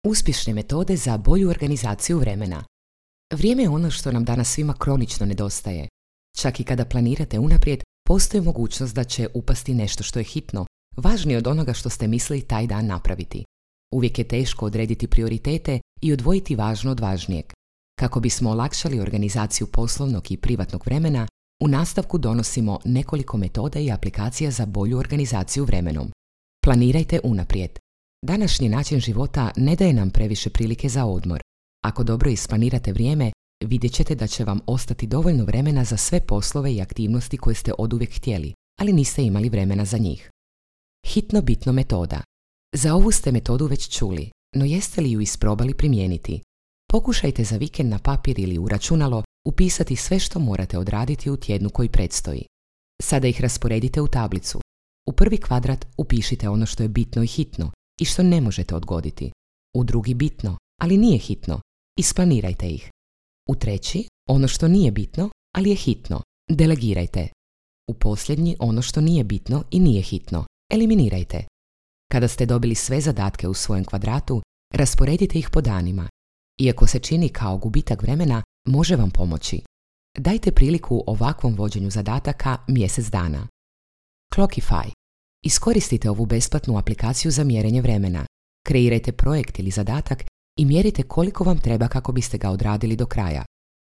Uspješne metode za bolju organizaciju vremena. Vrijeme je ono što nam danas svima kronično nedostaje. Čak i kada planirate unaprijed, postoji mogućnost da će upasti nešto što je hitno, važnije od onoga što ste mislili taj dan napraviti. Uvijek je teško odrediti prioritete i odvojiti važno od važnijeg. Kako bismo olakšali organizaciju poslovnog i privatnog vremena, u nastavku donosimo nekoliko metoda i aplikacija za bolju organizaciju vremenom. Planirajte unaprijed. Današnji način života ne daje nam previše prilike za odmor. Ako dobro isplanirate vrijeme, vidjet ćete da će vam ostati dovoljno vremena za sve poslove i aktivnosti koje ste oduvijek htjeli, ali niste imali vremena za njih. Hitno bitno metoda. Za ovu ste metodu već čuli, no jeste li ju isprobali primijeniti? Pokušajte za vikend na papir ili u računalo upisati sve što morate odraditi u tjednu koji predstoji. Sada ih rasporedite u tablicu. U prvi kvadrat upišite ono što je bitno i hitno i što ne možete odgoditi. U drugi bitno, ali nije hitno. Isplanirajte ih. U treći, ono što nije bitno, ali je hitno. Delegirajte. U posljednji, ono što nije bitno i nije hitno. Eliminirajte. Kada ste dobili sve zadatke u svojem kvadratu, rasporedite ih po danima. Iako se čini kao gubitak vremena, može vam pomoći. Dajte priliku ovakvom vođenju zadataka mjesec dana. Clockify. Iskoristite ovu besplatnu aplikaciju za mjerenje vremena. Kreirajte projekt ili zadatak i mjerite koliko vam treba kako biste ga odradili do kraja.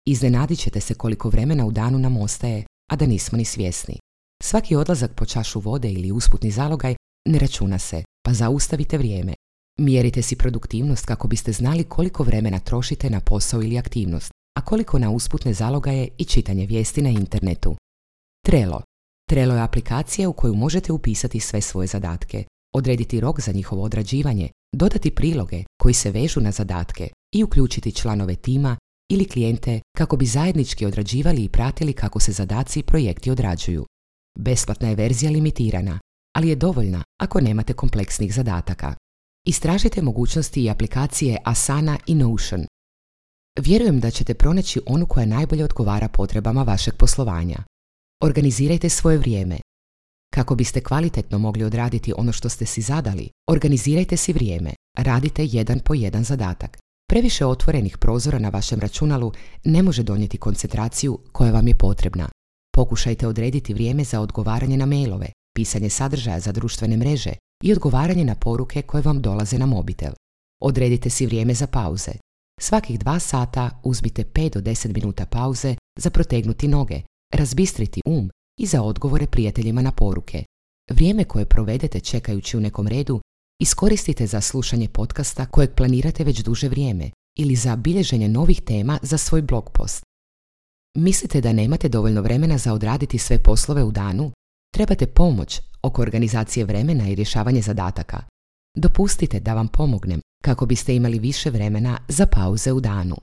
Iznenadit ćete se koliko vremena u danu nam ostaje, a da nismo ni svjesni. Svaki odlazak po čašu vode ili usputni zalogaj ne računa se, pa zaustavite vrijeme. Mjerite si produktivnost kako biste znali koliko vremena trošite na posao ili aktivnost, a koliko na usputne zalogaje i čitanje vijesti na internetu. Trello. Trello je aplikacija u koju možete upisati sve svoje zadatke, odrediti rok za njihovo odrađivanje, dodati priloge koji se vežu na zadatke i uključiti članove tima ili klijente kako bi zajednički odrađivali i pratili kako se zadaci i projekti odrađuju. Besplatna je verzija limitirana, ali je dovoljna ako nemate kompleksnih zadataka. Istražite mogućnosti i aplikacije Asana i Notion. Vjerujem da ćete pronaći onu koja najbolje odgovara potrebama vašeg poslovanja. Organizirajte svoje vrijeme. Kako biste kvalitetno mogli odraditi ono što ste si zadali, organizirajte si vrijeme. Radite jedan po jedan zadatak. Previše otvorenih prozora na vašem računalu ne može donijeti koncentraciju koja vam je potrebna. Pokušajte odrediti vrijeme za odgovaranje na mailove, pisanje sadržaja za društvene mreže i odgovaranje na poruke koje vam dolaze na mobitel. Odredite si vrijeme za pauze. Svakih 2 sata uzmite 5 do 10 minuta pauze za protegnuti noge, razbistriti i za odgovore prijateljima na poruke. Vrijeme koje provedete čekajući u nekom redu iskoristite za slušanje podcasta kojeg planirate već duže vrijeme ili za bilježenje novih tema za svoj blog post. Mislite da nemate dovoljno vremena za odraditi sve poslove u danu? Trebate pomoć oko organizacije vremena i rješavanje zadataka. Dopustite da vam pomognem kako biste imali više vremena za pauze u danu.